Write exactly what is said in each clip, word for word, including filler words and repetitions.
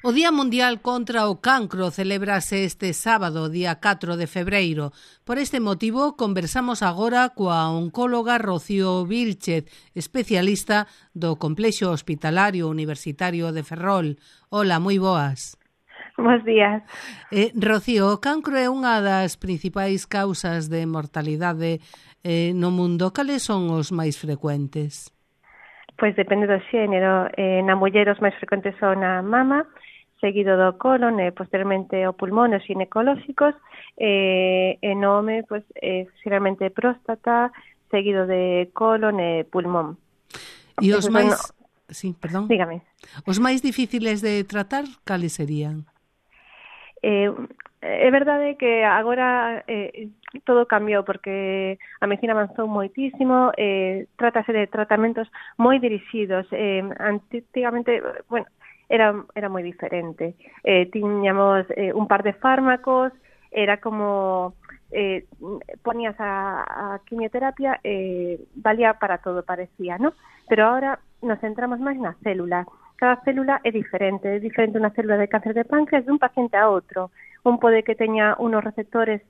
O Día Mundial contra o Cancro celébrase este sábado, día catro de febreiro. Por este motivo, conversamos agora coa oncóloga Rocío Vílchez, especialista do Complexo Hospitalario Universitario de Ferrol. Hola, moi boas. Bos días. Eh, Rocío, o cancro é unha das principais causas de mortalidade eh, no mundo. Cales son os máis frecuentes? Pois depende do xénero. Eh, na muller os máis frecuentes son a mama, seguido do colon e posteriormente o pulmón, os ginecolóxicos, e, e no home, pois, eh, xeralmente próstata, seguido de colon e pulmón. E os Esos máis... son... Sí, perdón. Dígame. Os máis difíciles de tratar, cales serían? Eh, é verdade que agora eh, todo cambiou porque a medicina avanzou moitísimo, eh, trátase de tratamentos moi dirixidos. Eh, antigamente, bueno, era era moi diferente. Eh, tiñamos eh, un par de fármacos, era como eh, ponías a, a quimioterapia, eh, valía para todo, parecía, ¿no? Pero ahora nos centramos máis na célula. Cada célula é diferente, é diferente unha célula de cáncer de páncreas de un paciente a outro. Un pode que teña unos receptores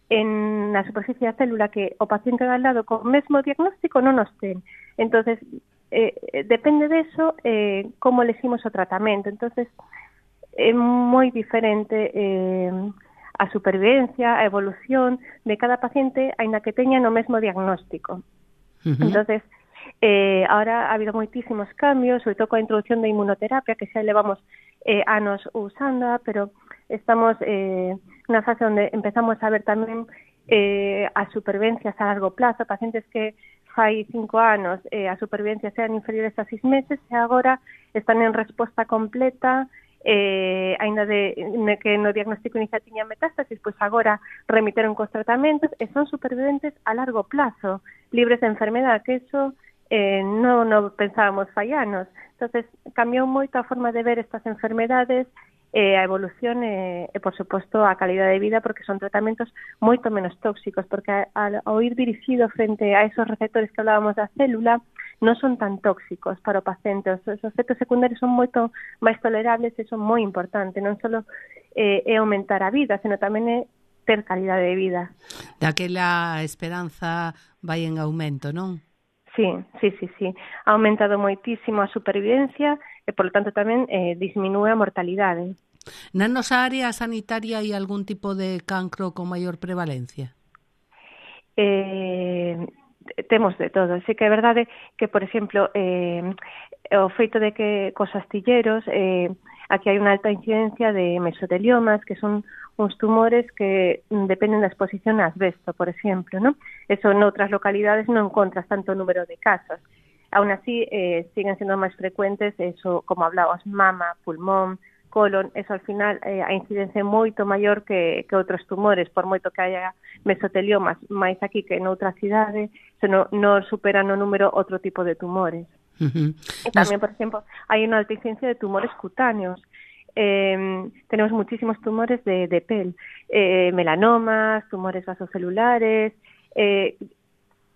en na superficie da célula que o paciente de al lado con o mesmo diagnóstico non os ten. Entonces, eh, depende deso eh, como elegimos o tratamento. Entonces, é moi diferente eh, a supervivencia, a evolución de cada paciente, aínda que teña no mesmo diagnóstico. Uh-huh. Entonces, Eh, ahora ha habido moitísimos cambios, sobre todo coa introducción da inmunoterapia, que xa levamos eh, anos usando, pero estamos eh, nunha fase onde empezamos a ver tamén eh, as supervivencias a largo plazo, pacientes que fai cinco anos eh, as supervivencias eran inferiores a seis meses e agora están en resposta completa, eh, ainda de, de que no diagnóstico inicial tiña metástasis, pois agora remiteron cos tratamentos e son superviventes a largo plazo, libres de enfermedade, que eso Eh, non no pensábamos fai anos. Entonces, cambiou moito a forma de ver estas enfermedades, eh, a evolución e, eh, por suposto, a calidade de vida, porque son tratamentos moito menos tóxicos, porque ao ir dirixido frente a esos receptores que hablábamos da célula, non son tan tóxicos para o paciente. Os, os efectos secundarios son moito máis tolerables e son moi importantes. Non só eh, é aumentar a vida, senón tamén é ter calidade de vida. Daquela esperanza vai en aumento, non? Sí, sí, sí, sí. Ha aumentado moitísimo a supervivencia e, por lo tanto, tamén eh, disminúe a mortalidade. Na nosa área sanitaria hai algún tipo de cancro con maior prevalencia? Eh, temos de todo. Sí que é verdade que, por exemplo, eh, o feito de que cos astilleros eh, aquí hai unha alta incidencia de mesoteliomas, que son uns tumores que dependen da exposición a asbesto, por exemplo, ¿no? Eso en outras localidades non encontras tanto número de casos. Aún así, eh, siguen sendo máis frecuentes, eso, como hablábamos, mama, pulmón, colon, eso al final eh, a incidencia é moito maior que, que outros tumores, por moito que haya mesoteliomas máis aquí que en outra cidade, se non no superan o número outro tipo de tumores. Uh-huh. E tamén, por exemplo, hai unha alta incidencia de tumores cutáneos. Eh, tenemos muchísimos tumores de, de pel, eh, melanomas, tumores vasocelulares, eh,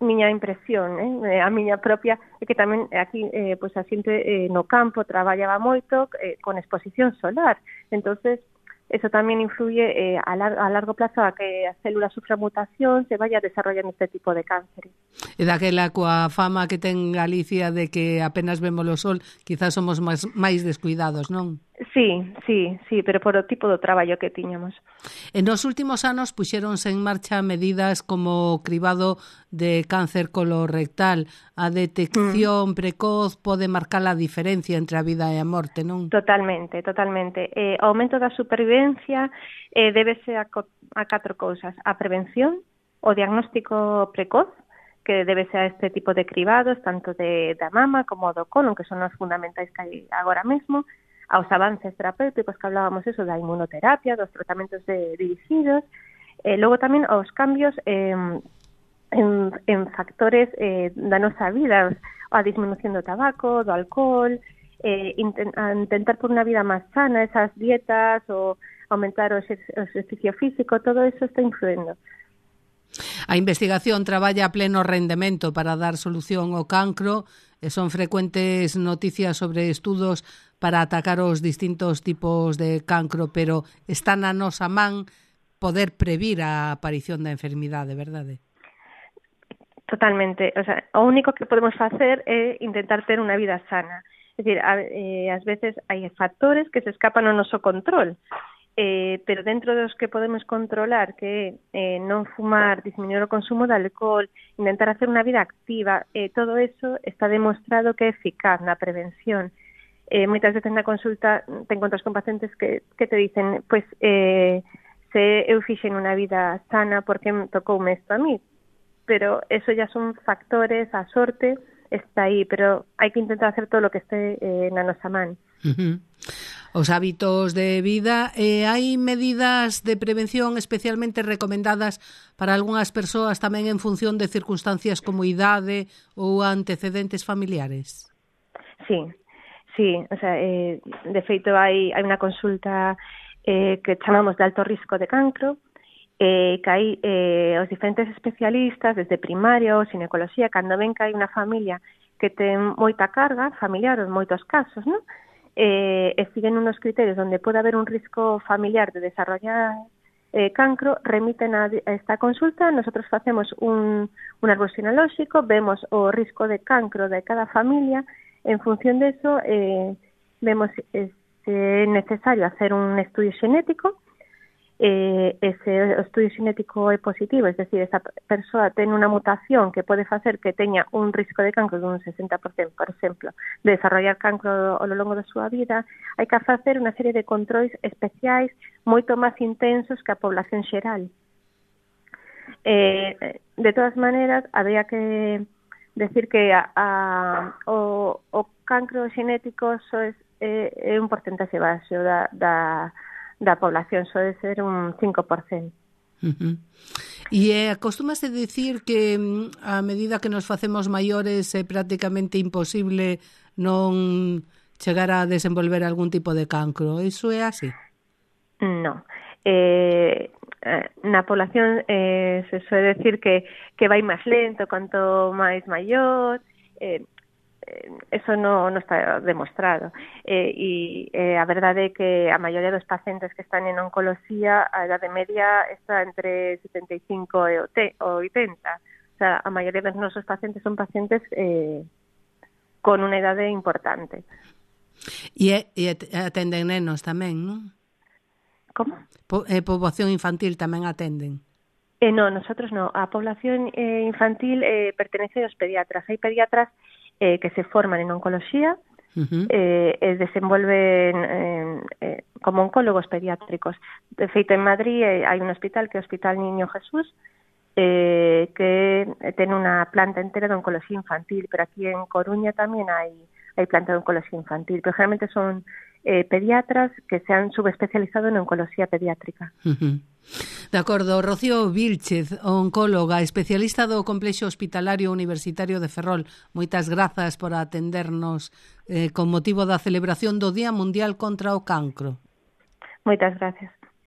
miña impresión, eh, a miña propia, é que tamén aquí, eh, pois a xente eh, no campo traballaba moito eh, con exposición solar, entonces eso tamén influye eh, a, lar a largo plazo a que a célula sufra mutación, se vaya desarrollando este tipo de cáncer. E daquela coa fama que ten Galicia de que apenas vemos o sol, quizás somos máis, máis descuidados, non? Sí, sí, sí, pero por o tipo do traballo que tiñamos. En nos últimos anos puxéronse en marcha medidas como o cribado de cáncer colorectal. A detección mm. precoz pode marcar a diferencia entre a vida e a morte, non? Totalmente, totalmente. Eh, o aumento da supervivencia eh, débese a, a catro cousas. A prevención, o diagnóstico precoz, que debe ser a este tipo de cribados, tanto de, da mama como do colon, que son os fundamentais que hai agora mesmo, aos avances terapéuticos que hablábamos eso da inmunoterapia, dos tratamentos de, dirigidos, eh, logo tamén os cambios eh, en, en factores eh, da nosa vida, a disminución do tabaco, do alcohol, eh, intent, a intentar por unha vida máis sana, esas dietas, o aumentar o exercicio físico, todo eso está influendo. A investigación traballa a pleno rendemento para dar solución ao cancro e son frecuentes noticias sobre estudos para atacar os distintos tipos de cancro, pero está na nosa man poder previr a aparición da enfermidade, verdade? Totalmente. O sea, o único que podemos facer é intentar ter unha vida sana. É dicir, a, eh, ás veces hai factores que se escapan ao noso control, eh, pero dentro dos que podemos controlar, que é eh, non fumar, disminuir o consumo de alcohol, intentar hacer unha vida activa, eh, todo eso está demostrado que é eficaz na prevención. Eh, moitas veces na consulta te encontras con pacientes que, que te dicen, pues, eh, se eu fixen unha vida sana porque me tocoume isto a mí, pero eso ya son factores, a sorte está aí, pero hai que intentar hacer todo o que este eh, na nosa man. Uh-huh. Os hábitos de vida, eh, hai medidas de prevención especialmente recomendadas para algunhas persoas tamén en función de circunstancias como idade ou antecedentes familiares? Sí, sí, o sea, eh, de feito hai, hai unha consulta eh, que chamamos de alto risco de cancro, eh, que hai eh, os diferentes especialistas desde primaria ou ginecoloxía, cando ven que hai unha familia que ten moita carga familiar en moitos casos, non? Eh, e siguen unos criterios onde pode haber un risco familiar de desarrollar eh, cancro, remiten a, a esta consulta, nosotros facemos un, un árbol xenealóxico, vemos o risco de cancro de cada familia, en función de eso eh, vemos eh, se é necesario hacer un estudio xenético. Eh, ese estudio xenético é positivo, es decir, esa persoa ten unha mutación que pode facer que teña un risco de cancro dun sesenta por cento, por exemplo, de desarrollar cancro ao longo da súa vida, hai que facer unha serie de controis especiais moito máis intensos que a población xeral. Eh, de todas maneiras, habría que decir que a, a, o, o cancro xenético só é, é, é un porcentaxe baixo da, da da población, só de ser un cinco por cento. Uh-huh. E eh, acostúmase dicir que a medida que nos facemos maiores é prácticamente imposible non chegar a desenvolver algún tipo de cancro. Iso é así? No. Eh, na población eh, se suele decir que, que vai máis lento canto máis maior, eh, eso non no está demostrado. Eh, e eh, a verdade é que a maioría dos pacientes que están en oncoloxía, a idade media está entre setenta e cinco e oitenta. O sea, a maioría dos nosos pacientes son pacientes eh, con unha idade importante. E, e atenden nenos tamén, non? Como? Po, eh, poboación infantil tamén atenden? Eh, no, nosotros no. A población eh, infantil eh, pertenece aos pediatras. Hai pediatras Eh, que se forman en oncoloxía, uh-huh. eh, e desenvolven eh, eh, como oncólogos pediátricos. De feito, en Madrid eh, hai un hospital que é o Hospital Niño Jesús, eh, que ten unha planta entera de oncoloxía infantil, pero aquí en Coruña tamén hai, hai planta de oncoloxía infantil, pero generalmente son eh, pediatras que se han subespecializado en oncoloxía pediátrica. Uh-huh. De acordo, Rocío Vílchez, oncóloga, especialista do Complexo Hospitalario Universitario de Ferrol. Moitas grazas por atendernos eh, con motivo da celebración do Día Mundial contra o Cancro. Moitas gracias.